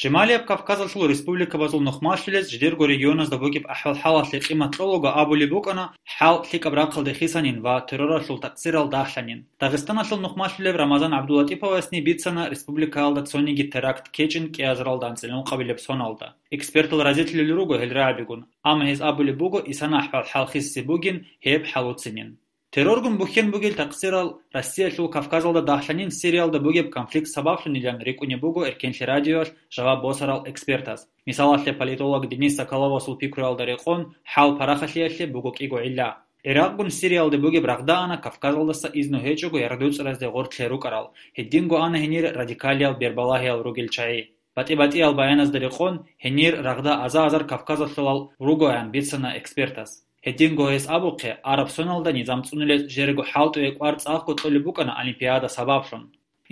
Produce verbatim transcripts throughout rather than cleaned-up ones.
Шималияб Кавказалъул республикабазул нухмалъулез жидерго регионазда бугеб ахӀвал-хӀалалъе къимат кьолаго абулеб букӀана, хӀал лъикӀаб рахъалде хисанин ва терроралъул такъсирал дагьлъанин. Дагъистаналъул нухмалъулев Рамазан ГӀабдуллатӀиповасни бицана республикаялда цониги теракт ккечӀин кӀиазаралда анцӀила ункъабилеб соналда. Экспертал разилъулел руго гьел рагӀабигун, амма гьез абулеб буго, исана ахӀвал-хӀал хисизе бугин, гьеб хӀалуцинин. Терроргун бухьен бугел такъсирал Россиялъул Кавказалда дагьлъанин Сириялда бугеб конфликт сабаблъунилан рикӀкӀунеб буго Эркенлъи радиоялъ жаваб босарал экспертаз. Мисалалъе, политолог Денис Соколовасул пикруялда рекъон, хӀал парахалъиялъе буго кӀиго гӀилла. ГӀиракъгун Сириялде бугеб рагъда ана Кавказалдаса изну гьечӀого яргъдуцӀаразде гъортлъи рукӀарал, гьединго ана гьенир радикалиял бербалагьиял ругел чагӀи. БатӀи-батӀиял баяназда рекъон, гьенир рагъда аза-азар Кавказалъулал ругоян бицана экспертас. Гьединго гьес абухъе, араб соналда низам цӀунулез жерго хӀалтӀуе кӀвар цӀакъго кьолеб букӀана Олимпиада сабаблъун.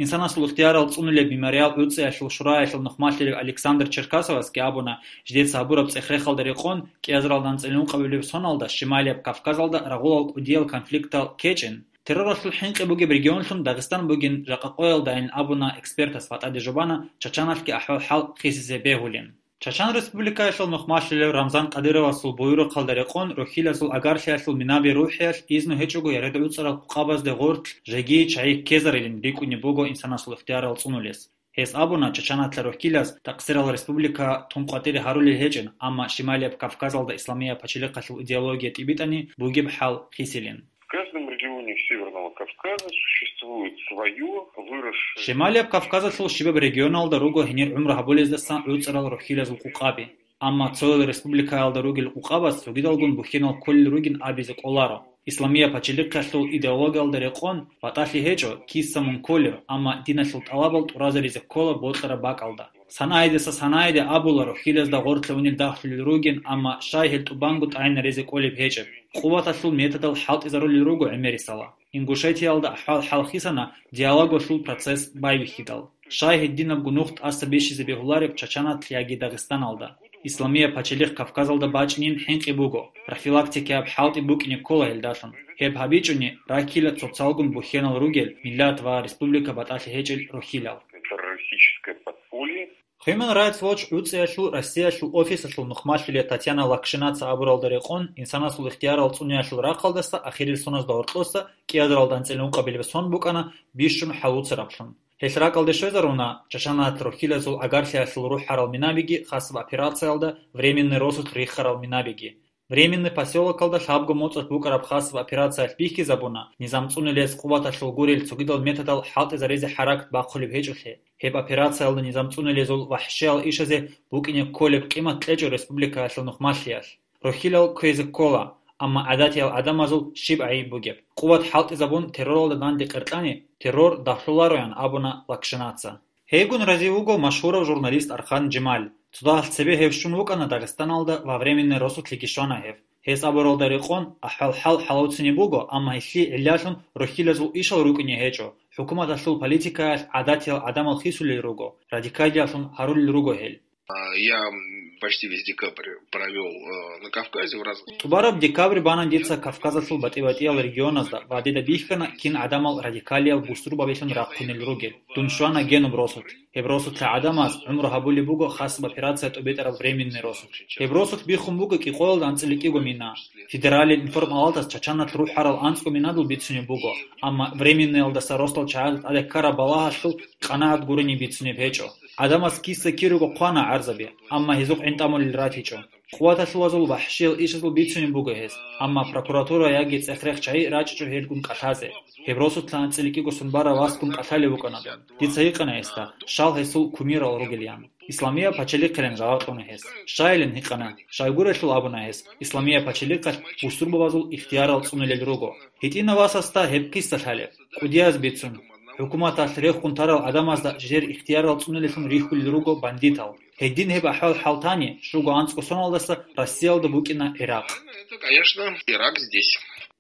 Инсанасул ихтиярал цӀунулеб Мемориал гӀуцӀиялъул шураялъул нухмалъулев Александр Черкасовасги абуна, жидеца гьабураб цӀех-рехалда рекъон, кӀиазаралда анцӀила ункъабилеб соналда Шималияб Кавказалда рагъулал кӀудиял конфликтал ккечӀин, терроралъул хӀинкъи бугеб регионлъун Дагъистан бугин жакъа къоялдайин абуна экспертас ва тӀаде жубана Чачаналъги ахӀвал-хӀал хисизе бегьулин. Чачан Республикаялъул нухмалъулев Рамзан Кадыровасул буюрухъалда рекъон рухьилазул агарлъиялъул минаби рухӀиялъ изну гьечӀого яргъдуцӀарал къукъабазде гъортлъ жеги чагӀи ккезарилин рикӀкӀунеб буго инсанасул ихтиярал цӀунулес. Гьес абуна, Чачаналъа рухьилаз такъсирал республика тун къватӀире гьарулел гьечӀин, амма Шималияб Кавказалда исламияб пачалихъалъул идеология тӀибитӀани бугеб хӀал хисилин. В каждом регионе Северного Кавказа существует свое выросшее... Шималияб Кавказалъул щибаб регионалда руго гьенир гӀумру гьабулездасан гӀуцӀарал рухьилазул къукъаби. Амма цоял республикаялда ругел къукъабаз цогидалгун бухьенал кколел ругин абизе кӀоларо. Исламияб пачалихъалъул идеологиялда рекъон батӀалъи гьечӀо, киса мун кколев, амма диналъул тӀалабал тӀуразаризе ккола бокьараб бакӀалда. Санаидаса санаиде абула рухьилазда гъоркье унел дагьлъулел ругин, амма щай гьел тӀубанго тӀагӀинаризе кӀолеб гьечӀеб. Къуваталъул методал хӀалтӀизарулел руго гӀемерисала. Ингушетиялда ахӀвал-хӀал хисана диалогалъул процесс байбихьидал. Щай гьединабго нух тӀаса бищизе бегьулареб Чачаналъ яги Дагъистаналда? Исламияб пачалихъ Кавказалда бачӀинин хӀинкъи буго. Профилактикаяб хӀалтӀи букӀине ккола гьелдалъун. Гьеб гьабичӀони, раккила цоцалгун бухьенал ругел миллат ва республика батӀалъи гьечӀел рухьилал. Террористическое подполье. Human Rights Watch гӀуцӀиялъул Россиялъул офисалъул нухмалъулев Татьяна Лакшинаца абуралда рекъон, инсанасул ихтиярал цӀуниялъул рахъалдаса ахирил соназда гьоркьоса кӀиазаралда анцӀила ункъабилеб сон букӀана бищун хӀалуцараблъун. Гьелъ ракӀалде щвезаруна Чачаналъ рухьилазул агарлъиялъул рухӀарал минабиги хасаб операциялда временный росулъ рихарал минабиги. Временный посёлокалда лъабго моцӀалъ букӀараб хасаб операциялъ бихьизабуна, низам цӀунулес къуваталъул гурел цогидал методал хӀалтӀизаризе хӀаракат бахъулеб гьечӀолъи. Гьеб операциялда низам цӀунулезул вахӀшиял ишазе букӀине кколеб къимат кьечӀо республикаялъул нухмалъиялъ. Рухьилал кквезе ккола, амма гӀадатиял гӀадамазул щиб гӀайиб бугеб? Къуват хӀалтӀизабун терроралда данде къеркьани, террор дагьлъулароян абуна Лакшинаца. Гьейгун разив вуго машгьурав журналист Архан Жемаль. Цо дагьалъ цебе гьев щун вукӀана Дагъистаналда ва временный росулъеги щвана гьев. Гьес абуралда рекъон, ахӀвал-хӀал хӀалуцинеб буго, амма гьелъие гӀиллалъун рухьилазул ишал рукӀине гьечӀо, хӀукуматалъул политикаялъ гӀадатиял гӀадамал хисулел руго, радикалиялъун гьарулел руго гьел. А, я, м, почти весь декабрь провёл, э, на Кавказе в разных... ТӀубараб декабрь бана дица Кавказалъул батӀи-батӀиял регионазда ва дида бихьана кин гӀадамал радикалиял бусурбабилъун рахъунел ругел. Дун щвана генуб росулъ. Гьеб росулъа гӀадамаз гӀумру гьабулеб буго хасаб операция тӀубитӀараб временный росулъ. Гьеб росулъ биххун буго кӀикъоялда анцӀила кӀиго мина. Федералил информалатас Чачаналъ рухӀарал анцӀго минадул бицунеб буго, амма временныйалдаса росдал чагӀазда тӀаде ккараб балагьалъул къанагӀат гурони бицунеб гьечӀо. ГӀадамаз киса кируго хъвана гӀарзаби, амма гьезухъ гӀинтӀамулел ратичӀо. Къуваталъулазул вахӀшиял ишазул бицунеб буго гьес, амма прокуратура яги цӀех-рех чагӀи рачӀичӀо гьелгун кӀалъазе. Гьеб росулъа анцӀила кӀиго сон барав васгун кӀалъалев вукӀана дун. Дица гьикъана гьесда, щал гьесул кумирал ругилан. Исламияб пачалихъилан жаваб кьуна гьес. Щайилан гьикъана, щайгурелъул абуна гьес, Исламияб пачалихъалъ бусурбабазул ихтиярал цӀунулел руго. ГьитӀинав васасда гьеб киса лъалеб? КӀудияз бицун, хӀукуматалъ рехун тарал гӀадамазда жер ихтиярал цӀунулеллъун рихьулел руго бандитал. Гьедин гьеб ахӀвал-хӀал тани, щуго анцӀго соналдаса Россиялда букӀина Иракъ. Это, конечно, Ирак здесь.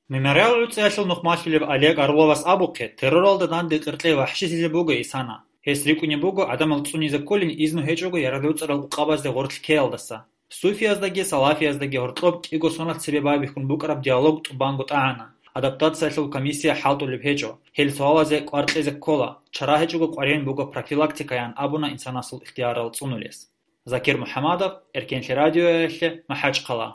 Мемориал гӀуцӀиялъул нухмалъулев Олег Орловас абухъе, терроралда данде къеркьей вахӀшилъизе буго исана. Гьес рикӀкӀунеб буго гӀадамал цӀунизе кколин изну гьечӀого яргъдуцӀарал къукъабазде гъоркь ккеялдаса. Суфияздаги салафияздаги гьоркьоб кӀиго соналъ цебе байбихьун букӀараб диалог тӀубанго тӀагӀана. адаптациялъул комиссия хӀалтӀулеб гьечӀо, гьел суалазе кӀвар кьезе ккола, чара гьечӀого къваригӀун буго профилактикаян абуна инсанасул ихтиярал цӀунулес. Закир МухӀамадов, Эркенлъи радиоялъе, МахӀачхъала.